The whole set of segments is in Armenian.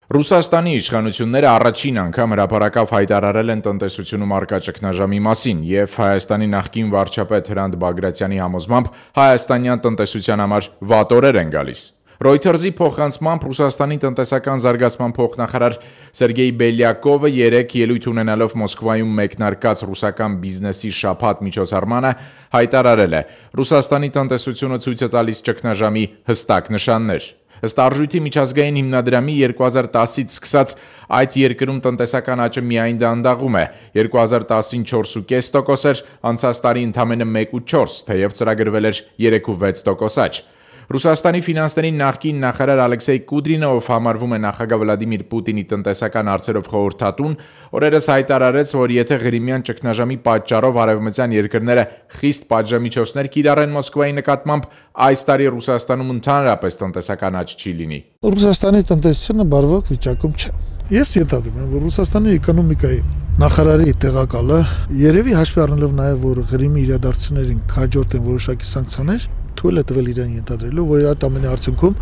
Ռուսաստանի իշխանությունները առաջին անգամ հրապարակավ հայտարարել են տնտեսությունում առկա ճգնաժամի մասին և Հայաստանի նախկին վարչապետ Հրանտ Բագրատյանի համոզմամբ հայաստանյան տնտեսության համար վատ օրեր են գալիս։ Reuters-ի փոխանցմամբ Ռուսաստանի տնտեսական զարգացման փոխնախարար Սերգեյ Բելյակովը երեկ ելույթ ունենալով Մոսկվայում մեկնարկած ռուսական բիզնեսի շաբաթ միջոցառմանը հայտարարել է. Ռուսաստանի տնտեսությունը ցույց է տալիս ճգնաժամի հստակ նշաններ։ Ըստ Արժույթի միջազգային հիմնադրամի 2010-ից սկսած այդ երկրում տնտեսական աճը միայն դանդաղում է, 2010-ին 4,5% էր, անցած տարի ընդամենը 1,4%, թեև ծրագրվել էր 3,6% աճ։ Ռուսաստանի ֆինանսների նախկին նախարար Ալեքսեյ Կուդրինը, ով համարվում է նախագահ Վլադիմիր Պուտինի տնտեսական հարցերով խորհրդատուն, օրերս հայտարարեց, որ եթե Ղրիմյան ճգնաժամի պատճառով արևմտյան երկրները խիստ պատժամիջոցներ կիրառեն Մոսկվայի նկատմամբ, այս տարի Ռուսաստանում ընդհանրապես տնտեսական աճ չի լինի։ Ռուսաստանի տնտեսությունը բարվոք վիճակում չէ։ Ես ենթադրում եմ, որ Ռուսաստանի էկոնոմիկայի նախարարի տեղակալը երևի հաշվի առնելով նաև, որ Ղրիմի իրադարձություններին հաջորդ են որոշակի սանկցիաներ, թույլ է տվել իրեն ենթադրելու, որ այդ ամենի արդյունքում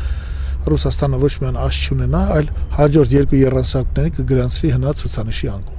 Ռուսաստանը ոչ միայն աճ չունենա, այլ հաջորդ երկու եռանցքների կգրանցվի հնած ցուցանիշի անկում։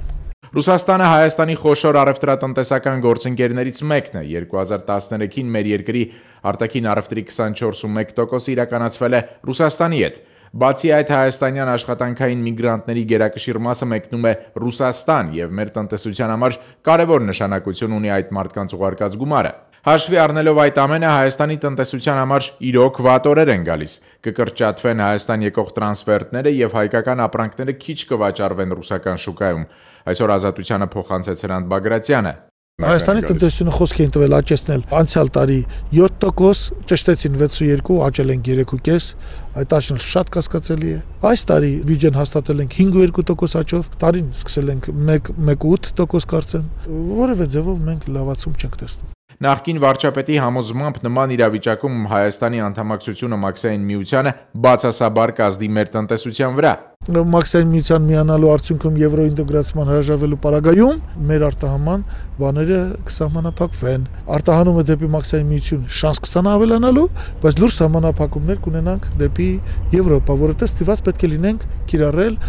Ռուսաստանը Հայաստանի խոշոր առևտրատնտեսական գործընկերներից մեկն է։ 2013-ին մեր երկրի արտաքին առևտրի 24.1% իրականացվել է Ռուսաստանի հետ։ Բացի այդ, հայաստանյան աշխատանքային միգրանտների գերակշիռ մասը մեկնում է Ռուսաստան և մեր տնտեսության համար կարևոր նշանակություն ունի այդ մարդկանց ուղարկած գումարը։ Հաշվի առնելով այդ ամենը, Հայաստանի տնտեսության համար իրոք վատ օրեր են գալիս։ Կկրճատվեն Հայաստան եկող տրանսֆերտները և հայկական ապրանքները քիչ կվաճառվեն ռուսական շուկայում։ Այսօր Ազատությանը փոխանցեց Հրանտ Բագրատյանը։ Հայաստանի տնտեսությունը խոսք էին տվել աճեցնել անցյալ տարի 7%, ճշտեցին 6.2, աճել ենք 3.5, այդ աճն շատ կասկածելի է։ Այս տարի բյուջեն հաստատել ենք 5.2% աճով, տարին սկսել ենք 1.8% կարծեմ, որևէ ձևով մենք լավացում չենք տեսնում։ Նախկին վարչապետի համոզմամբ նման իրավիճակում Հայաստանի անդամակցությունը Մաքսային միությանը բացասաբար կազդի մեր տնտեսության վրա։ Մաքսային միության միանալու արդյունքում եվրոինտեգրացման հրաժարվելու պարագայում մեր արտահանման բաները կսահմանափակվեն։ Արտահանումը դեպի Մաքսային միություն շանս կստանա ավելանալու, բայց լուրջ սահմանափակումներ կունենանք դեպի Եվրոպա, որովհետև ստիված պետք է լինենք կիրառել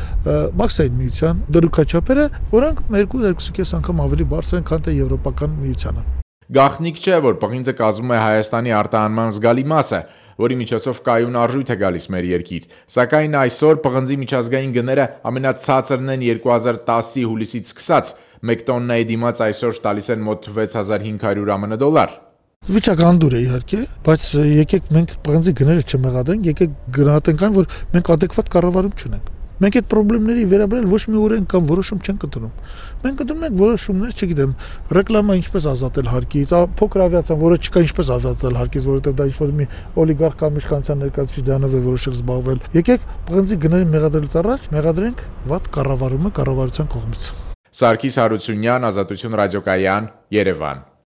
Մաքսային միության դրույքաչափերը, որոնք 2-2.5 անգամ ավելի բարձր են, քան թե Եվրոպական միությանը։ Գաղտնիք չէ, որ պղինձը կազմում է Հայաստանի արտահանման զգալի մասը, որի միջոցով կայուն արժույթ է գալիս մեր երկիր, սակայն այսօր պղնձի միջազգային գները ամենացածրն են 2010-ի հուլիսից սկսած, 1 տոննայի դիմաց այսօր տալիս են մոտ 6500 ԱՄՆ դոլար։ Վիճակը անդուր է իհարկե, բայց եկեք մենք պղնձի գները չմեղադրենք, եկեք գնահատենք այն, որ մենք adekvat կառավարում չունենք։ Մենք այդ խնդիրների վերաբերյալ ոչ մի օրենք կամ որոշում չենք ընդունում։ Մենք ընդունում ենք որոշումներ, չգիտեմ, ռեկլամա ինչպես ազատել հարկից, փոքր ավիացիան, որը չկա ինչպես ազատել հարկից, որովհետև դա ինչ-որ մի օլիգարխ կամ իշխանության ներկայացուցիչ դրանով է որոշել զբաղվել։ Եկեք պղնձի գների մեղադրելուց առաջ մեղադրենք վատ կառավարումը կառավարության կողմից։ Սարգիս Հարությունյան, Ազատություն ռադիոկայան, Երևան։